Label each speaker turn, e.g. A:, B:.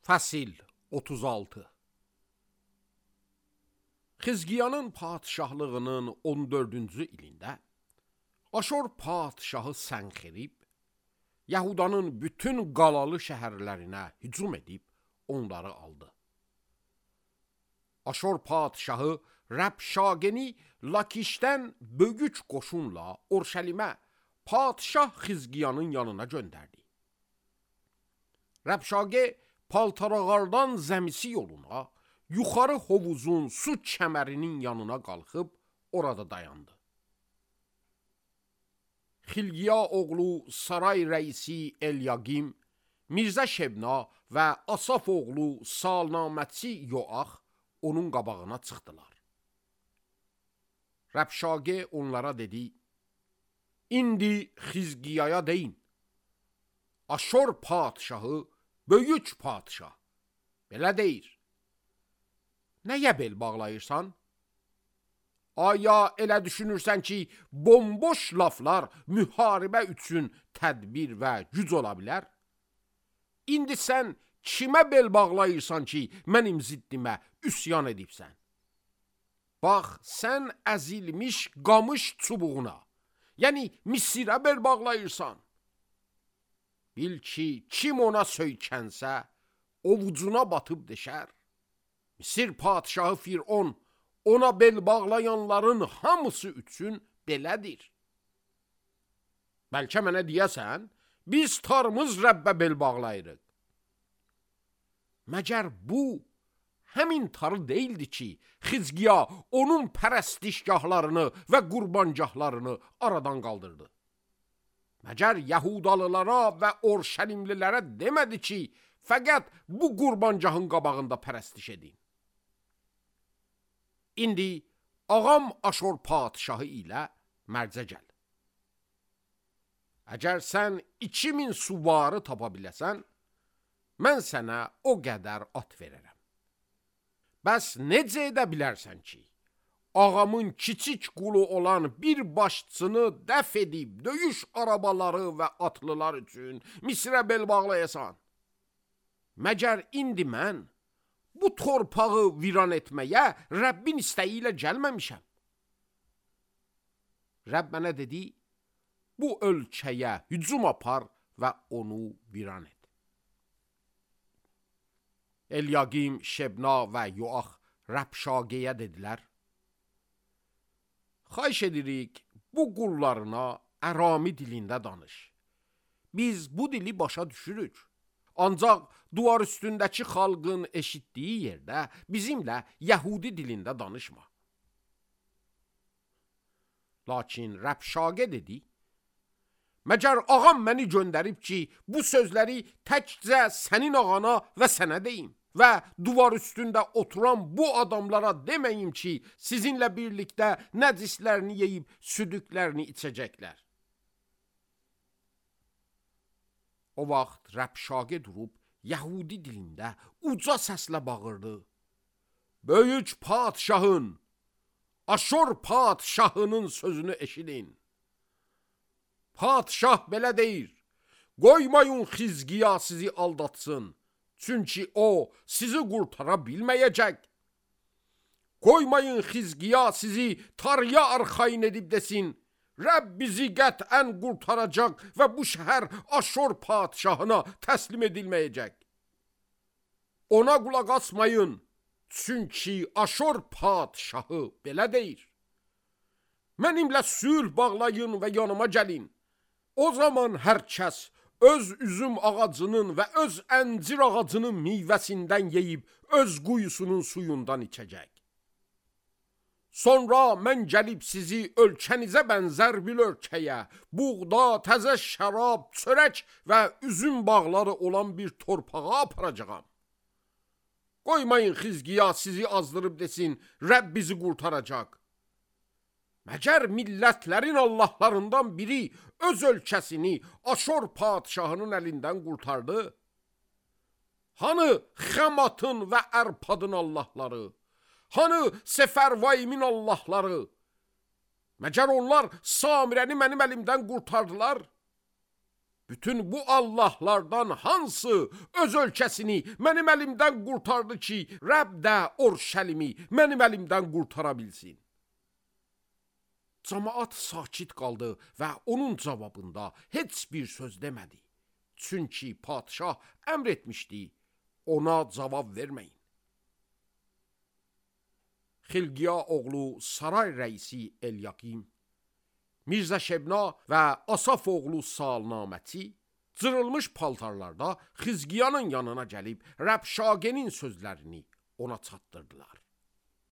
A: Fəsil 36. Xizqiyanın padişahlığının 14-cü ilində Aşor padişahı Sənxerib Yahudanın bütün qalalı şəhərlərinə hücum edib onları aldı. Aşor padişahı Rəbşageni Lakişdən böyük qoşunla Orşəlimə padişah Xizqiyanın yanına göndərdi. Rəbşage Paltarağardan Zəmisi yoluna, yuxarı hovuzun su kəmərinin yanına qalxıb orada dayandı. Xilqiya oğlu saray rəisi Elyaqim, Mirzə Şebna və Asaf oğlu salnaməçi Yoax onun qabağına çıxdılar. Rəbşage onlara dedi, İndi Xizqiyaya deyin, Aşor padişahı böyük padişah, belə deyir. Nəyə bel bağlayırsan? Aya elə düşünürsən ki, bomboş laflar müharibə üçün tədbir və güc ola bilər? İndi sən kimə bel bağlayırsan ki, mənim ziddimə üsyan edibsən? Bax, sən əzilmiş qamış çubuğuna, yəni Misirə bel bağlayırsan. Bil ki, kim ona söykənsə, ovucuna batıb deşər. Misir padişahı Firon ona bel bağlayanların hamısı üçün belədir. Bəlkə mənə deyəsən, biz tarımız Rəbbə bel bağlayırıq. Məgər bu, həmin tarı deyildi ki, Xizqiya onun pərəstişgahlarını və qurbangahlarını aradan qaldırdı. Məgər Yahudalılara və Orşəlimlilərə demədi ki, fəqət bu qurbangahın qabağında pərəstiş edin. İndi ağam Aşor padişahı ilə mərzə gəl. Əgər sən 2000 suvarı tapa biləsən, mən sənə o qədər at verərəm. Bəs necə edə bilərsən ki, ağamın kiçik qulu olan bir başçını dəf edib döyüş arabaları və atlılar üçün Misirə bel bağlayasan? Məgər indi mən bu torpağı viran etməyə Rəbbin istəyi ilə gəlməmişəm. Rəbb mənə dedi, bu ölkəyə hücum apar və onu viran et. Elyaqim, Şebna və Yoax Rəbşageyə dedilər, xahiş edirik, bu qullarına Ərami dilində danış. Biz bu dili başa düşürük. Ancaq duvar üstündəki xalqın eşitdiyi yerdə bizimlə Yəhudi dilində danışma. Lakin Rəbşage dedi, məgər ağam məni göndərib ki, bu sözləri təkcə sənin ağana və sənə deyim və duvar üstündə oturan bu adamlara deməyim ki, sizinlə birlikdə nəcislərini yeyib südüklərini içəcəklər. O vaxt Rəbşage durub Yəhudi dilində uca səslə bağırdı. Böyük padişahın, Aşor padişahının sözünü eşidin. Padişah belə deyir, qoymayın Xizqiya sizi aldatsın, çünki o sizi qurtara bilməyəcək. Qoymayın Xizqiya sizi tarıya arxayın edib desin, Rəbb bizi qətən qurtaracaq və bu şəhər Aşor padişahına təslim edilməyəcək. Ona qulaq asmayın, çünki Aşor padişahı belə deyir. Mənimlə sülh bağlayın və yanıma gəlin. O zaman hər kəs öz üzüm ağacının və öz əncir ağacının meyvəsindən yeyib öz quyusunun suyundan içəcək. Sonra mən gəlib sizi ölkənizə bənzər bir ölkəyə, buğda, təzə şərab, çörək və üzüm bağları olan bir torpağa aparacağam. Qoymayın Xizqiya sizi azdırıb desin, Rəbb bizi qurtaracaq. Məgər millətlərin Allahlarından biri öz ölkəsini Aşor padişahının əlindən qurtardı? Hanı Xəmatın və Ərpadın Allahları? Hanı Səfərvaymin Allahları? Məgər onlar Samirəni mənim əlimdən qurtardılar? bütün bu Allahlardan hansı öz ölkəsini mənim əlimdən qurtardı ki, Rəbb də Orşəlimi mənim əlimdən qurtara bilsin? Camaat sakit qaldı və onun cavabında heç bir söz demədi. Çünki padşah əmr etmişdi, ona cavab verməyin. Xilqiya oğlu saray rəisi Elyakim, Mirzə Şebna və Asaf oğlu Salnaməti cırılmış paltarlarda Xizqiyanın yanına gəlib Rəbşagenin sözlərini ona çatdırdılar.